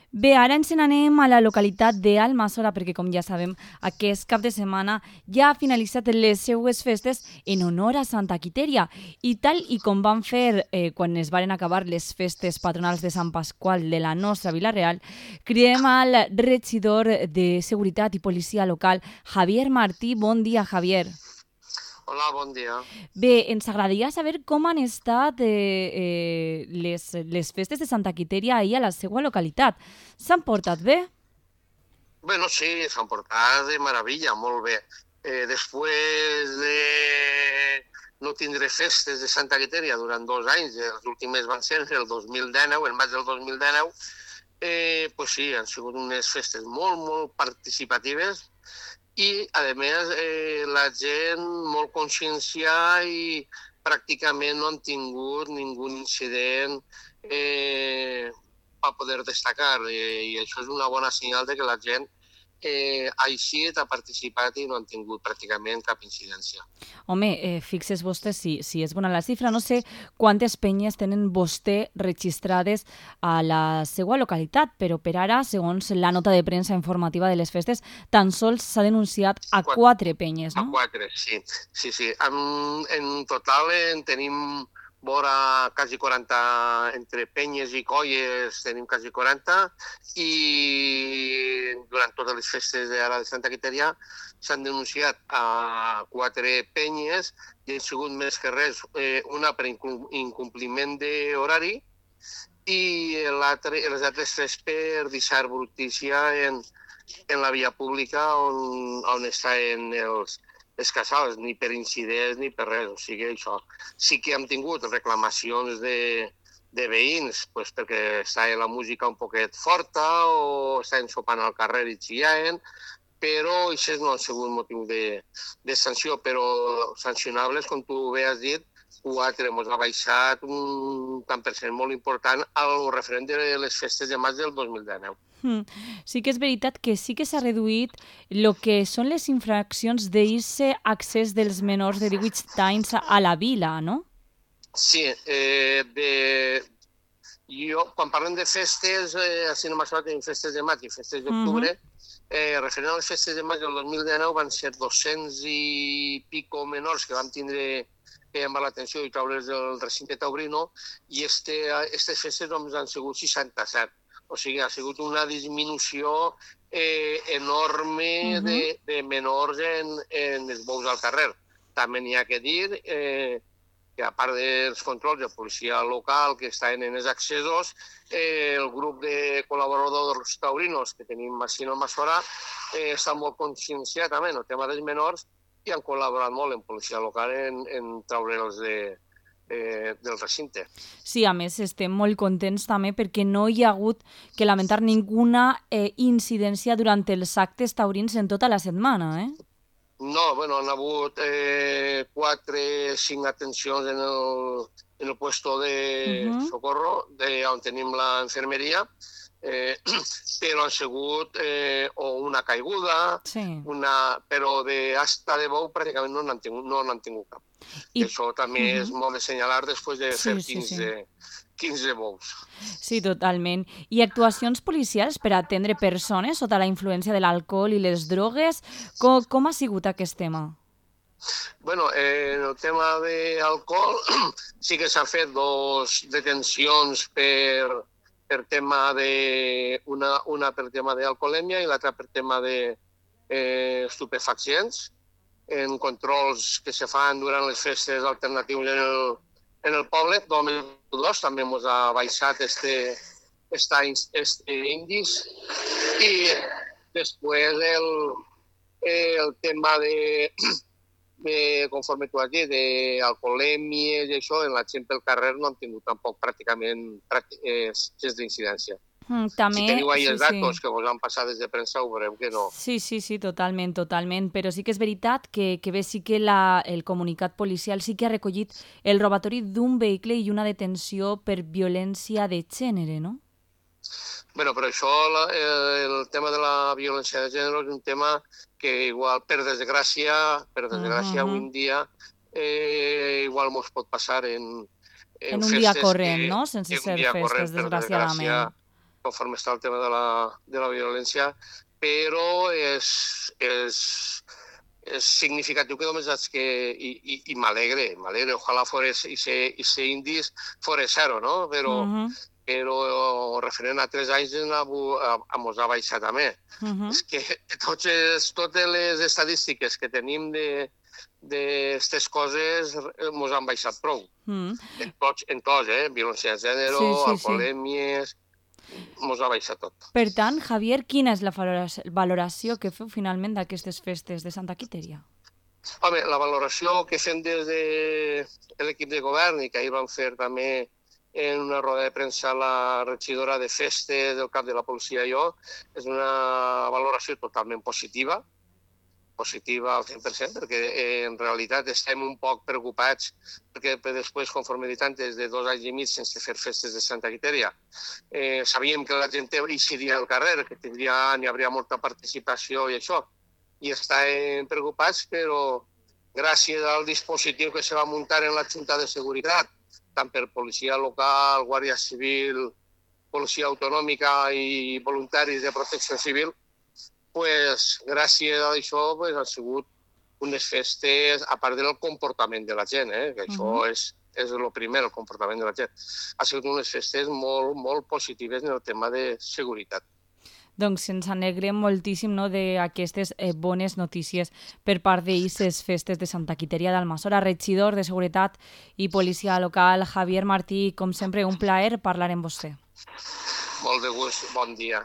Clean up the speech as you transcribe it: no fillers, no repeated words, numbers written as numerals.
Bé, ara ens n'anem a la localitat d'Almassora perquè, com ja sabem, aquest cap de setmana ja ha finalitzat les seues festes en honor a Santa Quitèria. I tal i com van fer quan es varen acabar les festes patronals de Sant Pasqual de la nostra Vila Real, cridem al regidor de Seguretat i Policia Local, Javier Martí. Bon dia, Javier. Hola, bon dia. Bé, ens agradaria saber com han estat les festes de Santa Quitèria ahir a la seva localitat. S'han portat bé? Bueno, sí, s'han portat de meravella, molt bé. Després de no tindre festes de Santa Quitèria durant 2 anys, els últims van ser el 2019, el maig del 2019, pues sí, han sigut unes festes molt, molt participatives i, a més, la gent molt conscienciada i pràcticament no han tingut ningú incident per poder destacar. I això és una bona senyal de que la gent ha eixit, ha participat i no han tingut pràcticament cap incidència. Home, fixes vostè si és bona la xifra. No sé quantes penyes tenen vostè registrades a la seva localitat, però per ara, segons la nota de premsa informativa de les festes, tan sols s'ha denunciat a 4 penyes, no? A 4, sí. Sí. En total en tenim vora quasi 40, entre penyes i colles tenim quasi 40, i durant totes les festes d'ara de Santa Quitèria s'han denunciat a 4 penyes i han sigut més que res una per incompliment d'horari i les altres 3 per deixar brutícia en la via pública on estan els casals, ni per incidents ni per res. O sigui, això. Sí que hem tingut reclamacions de veïns, pues, perquè estava la música un poquet forta o estaven sopant al carrer i xillaven, però això no ha sigut motiu de sanció, però sancionables, com tu bé has dit, 4, ens ha baixat un tant per cent molt important al referent de les festes de maig del 2019. Sí que és veritat que sí que s'ha reduït el que són les infraccions d'eixe accés dels menors de 18 anys a la vila, no? Sí, quan parlem de festes, a Cinema Sala tenim festes de maig i festes d'octubre. Referent a les festes de maig del 2019 van ser 200 i pico menors que vam tindre que llamar l'atenció i treure's del recinte taurino, i aquestes festes doncs, han sigut 67. O sigui, ha sigut una disminució enorme de menors en els bous al carrer. També n'hi ha que dir que, a part dels controls de policia local que estan en els accessos, el grup de col·laboradors taurinos que tenim a Almassora està molt conscienciat també en el tema dels menors i han col·laborat molt en policia local en treure'ls del recinte. Sí, a més estem molt contents també perquè no hi ha hagut que lamentar ninguna incidència durant els actes taurins en tota la setmana, eh? No, bueno, han hagut 4 o 5 atencions en el puesto de socorro, on tenim la infermeria, però han sigut o una caiguda, però d'asta de bou pràcticament no n'han tingut cap. I això també és molt de senyalar després de fer 15 bous. Sí, totalment. I actuacions policials per atendre persones sota la influència de l'alcohol i les drogues, com ha sigut aquest tema? Bueno, en el tema d'alcohol sí que s'han fet 2 detencions per tema una per tema d'alcoholèmia i l'altra per tema d'estupefaccients, en controls que se fan durant les festes alternatius en el poble. 2002 també ens ha baixat este índice, i després el tema conforme tu has dit, d'alcoholèmies i això, en la gent pel carrer no han tingut tampoc pràcticament gens d'incidència. També, si teniu ahí els datos que vos han passat des de premsa, ho veureu que no. Sí, totalment. Però sí que és veritat que bé, sí que el comunicat policial sí que ha recollit el robatori d'un vehicle i una detenció per violència de gènere, no? Bueno, però això, el tema de la violència de gènere és un tema que igual, per desgràcia, avui en dia, igual mos pot passar en un dia corrent, no? Sense ser festes, desgraciadament. conforme està el tema de la violència, però és significatiu que només haig que... I m'alegre, ojalà ese índice fos zero, no? Però referent a 3 anys mos ha baixat també. És que totes les estadístiques que tenim d'aquestes coses mos han baixat prou. En tots, violència de gènere, alcoholèmies, mos ha baixat tot. Per tant, Javier, quina és la valoració que feu finalment d'aquestes festes de Santa Quiteria? Home, la valoració que fem des de l'equip de govern i que ahir vam fer també en una roda de premsa la regidora de festes del cap de la policia i jo, és una valoració totalment positiva al 100%, perquè en realitat estem un poc preocupats perquè després, conforme he dit antes, de 2 anys i mig sense fer festes de Santa Quiteria, sabíem que la gent eixiria al carrer, que n'hi hauria molta participació i això, i estem preocupats, però gràcies al dispositiu que se va muntar en la Junta de Seguretat, tant per policia local, guàrdia civil, policia autonòmica i voluntaris de protecció civil, pues, gràcies a això han sigut unes festes, a part del comportament de la gent, que això és el primer, el comportament de la gent. Ha sigut unes festes molt, molt positives en el tema de seguretat. Doncs ens alegrem moltíssim d'aquestes bones notícies per part d'Isses Festes de Santa Quiteria d'Almassora. Regidor de Seguretat i Policia Local, Javier Martí, com sempre, un plaer parlar amb vostè. Molt de gust, bon dia.